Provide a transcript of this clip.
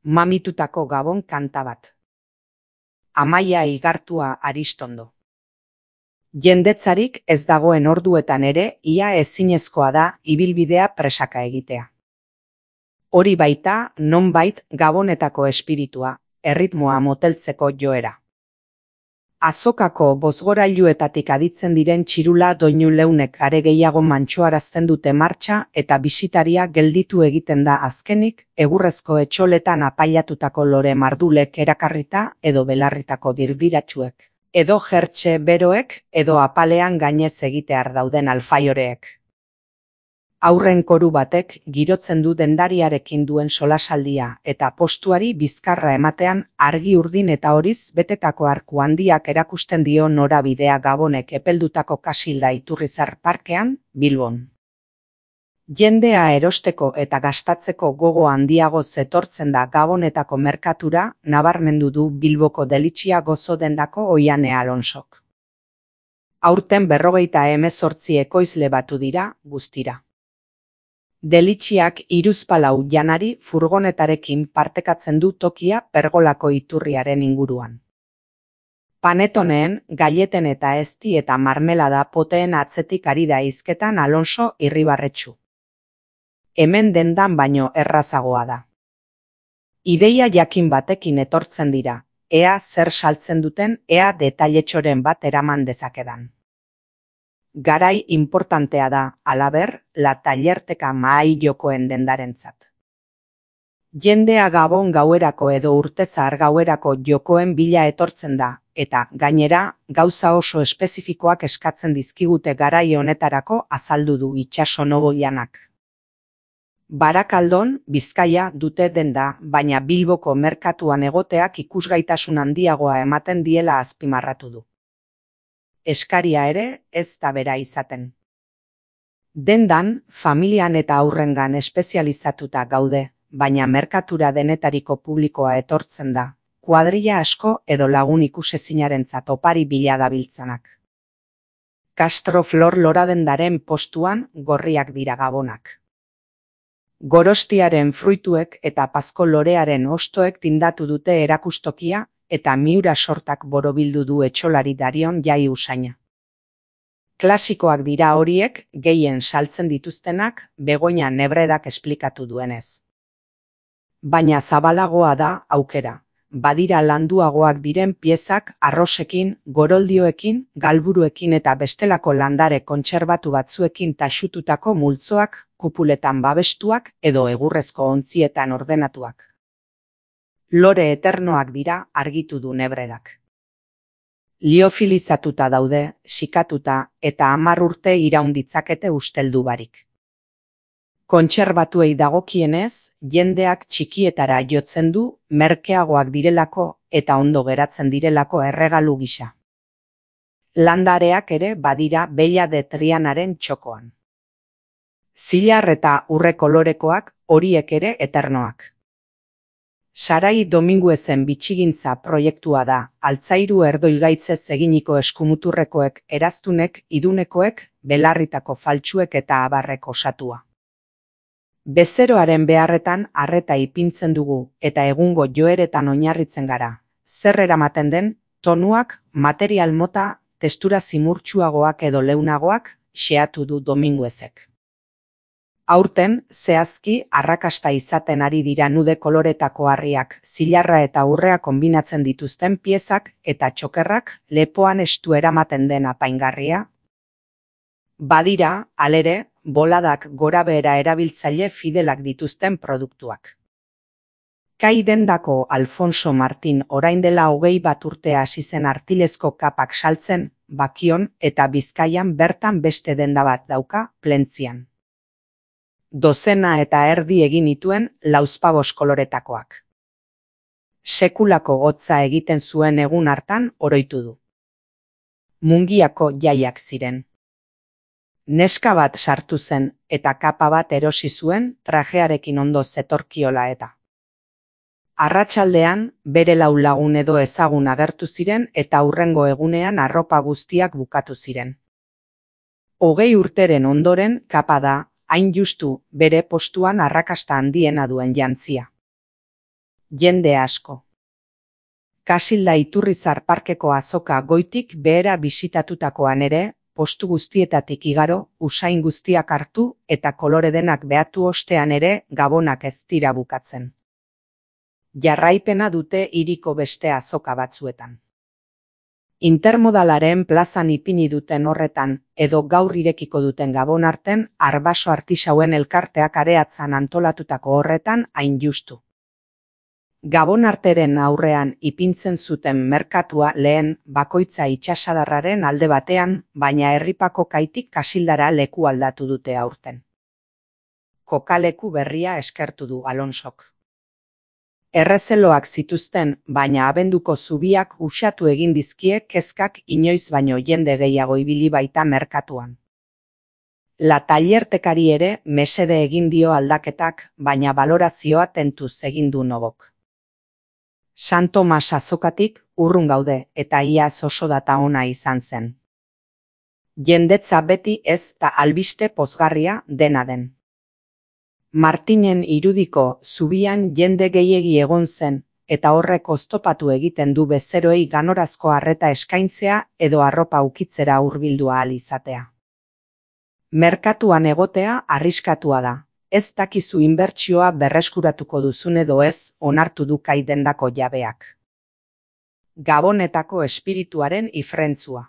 Mamitutako Gabon kanta bat. Amaia Igartua Aristondo. Jendetzarik ez dagoen orduetan ere ia ezinezkoa da ibilbidea presaka egitea. Hori baita nonbait Gabonetako espiritua, erritmoa moteltzeko joera. Azokako bozgorailuetatik aditzen diren txirula doinu leunek are gehiago mantxoarazten dute martxa eta bisitaria gelditu egiten da azkenik egurrezko etxoletan apailatutako lore mardulek erakarrita edo belarritako dirdiratsuek, edo jertxe beroek edo apalean gainez egitear dauden alfaioreek. Aurren koru batek girotzen du dendariarekin duen solasaldia eta postuari bizkarra ematean argi urdin eta horiz betetako arku handiak erakusten dio norabidea Gabonek epeldutako Kasilda Iturrizar parkean, Bilbon. Jendea erosteko eta gastatzeko gogo handiago zetortzen da Gabonetako merkatura, nabarmendu du Bilboko Delitxia gozo dendako Oiane Alonsok. Aurten 58 ekoizle batu dira, guztira. Delitxiak hiruzpalau janari furgonetarekin partekatzen du tokia pergolako iturriaren inguruan. Panetoneen, galleten eta ezti eta marmelada poteen atzetik ari da hizketan Alonso Irribarretxu. Hemen dendan baino errazagoa da. Ideia jakin batekin etortzen dira, ea zer saltzen duten, ea detailetxoren bat eraman dezakedan. Garai importantea da, halaber, la tallerteka mahai jokoen dendarentzat. Jendea Gabon gauerako edo urtezar gauerako jokoen bila etortzen da, eta, gainera, gauza oso espezifikoak eskatzen dizkigute garai honetarako azaldu du itsaso Noboianak. Barakaldon, Bizkaia dute denda, baina Bilboko merkatuan egoteak ikusgaitasun handiagoa ematen diela azpimarratu du. Eskaria ere ez da bera izaten. Dendan, familian eta haurrengan espezializatuta gaude, baina merkatura denetariko publikoa etortzen da, kuadrilla asko edo lagun ikusezinarentzat opari bila dabiltzanak. Castro Flor loradendaren postuan gorriak dira Gabonak. Gorostiaren fruituek eta pazko lorearen ostoek tindatu dute erakustokia, eta miura sortak borobildu du etxolari Darion Jai usaina. Klasikoak dira horiek, gehien saltzen dituztenak, Begoña Nebredak esplikatu duenez. Baina zabalagoa da aukera, badira landuagoak diren piezak arrosekin, goroldioekin, galburuekin eta bestelako landare kontserbatu batzuekin taxututako multzoak, kupuletan babestuak edo egurrezko ontzietan ordenatuak. Lore eternoak dira argitu du Nebredak. Liofilizatuta daude, sikatuta eta 10 urte iraun ditzakete usteldu barik. Kontserbatuei dagokienez, jendeak txikietara jotzen du merkeagoak direlako eta ondo geratzen direlako erregalu gisa. Landareak ere badira Bella de Trianaren txokoan. Zilar eta urre kolorekoak horiek ere eternoak. Sarai Dominguezen bitxigintza proiektua da, altzairu erdoilgaitzez eginiko eskumuturrekoek, eraztunek, idunekoek, belarritako faltsuek eta abarrek osatua. Bezeroaren beharretan arreta ipintzen dugu eta egungo joeretan oinarritzen gara. Zer eramaten den, tonuak, material mota, testura zimurtsuagoak edo leunagoak, xeatu du Dominguezek. Aurten, zehazki, arrakasta izaten ari dira nude koloretako harriak, zilarra eta urrea konbinatzen dituzten piezak eta txokerrak lepoan estu eramaten den apaingarria. Badira, halere, boladak gorabehera erabiltzaile fidelak dituzten produktuak. Kai dendako Alfonso Martin orain dela 21 urte hasi zen artilezko kapak saltzen, Bakion eta Bizkaian bertan beste denda bat dauka, Plentzian. 12 eta erdi egin nituen lauzpabos koloretakoak. Sekulako hotza egiten zuen egun hartan oroitu du. Mungiako jaiak ziren. Neska bat sartu zen eta kapa bat erosi zuen trajearekin ondo zetorkiola eta. Arratsaldean bere 4 lagun edo ezagun agertu ziren eta hurrengo egunean arropa guztiak bukatu ziren. 20 urteren ondoren kapa da, hain justu bere postuan arrakasta handiena duen jantzia. Jende asko. Kasilda Iturrizar parkeko azoka goitik behera bisitatutakoan ere, postu guztietatik igaro, usain guztiak hartu eta kolore denak behatu ostean ere gabonak ez dira bukatzen. Jarraipena dute hiriko beste azoka batzuetan. Intermodalaren plazan ipini duten horretan edo gaur irekiko duten gabon arten Arbaso artisauen elkarteak areatzan antolatutako horretan hain justu. Gabon arteren aurrean ipintzen zuten merkatua lehen bakoitza itsasadarraren alde batean, baina herripako kaitik Kasildara leku aldatu dute aurten. Kokaleku berria eskertu du Alonsok. Errezeloak zituzten, baina abenduko zubiak uxatu egin dizkie kezkak inoiz baino jende gehiago ibili baita merkatuan. La Tallertekari ere mesede egin dio aldaketak, baina balorazioa tentuz egin du Nobok. San Tomas azokatik urrun gaude eta iaz oso data ona izan zen. Jendetza beti ez da albiste pozgarria dena den. Martinen irudiko zubian jende gehiegi egon zen, eta horrek oztopatu egiten du bezeroei ganorazko arreta eskaintzea edo arropa ukitzera hurbildu ahal izatea. Merkatuan egotea arriskatua da, ez dakizu inbertsioa berreskuratuko duzun edo ez onartu du kai dendako jabeak. Gabonetako espirituaren ifrentzua.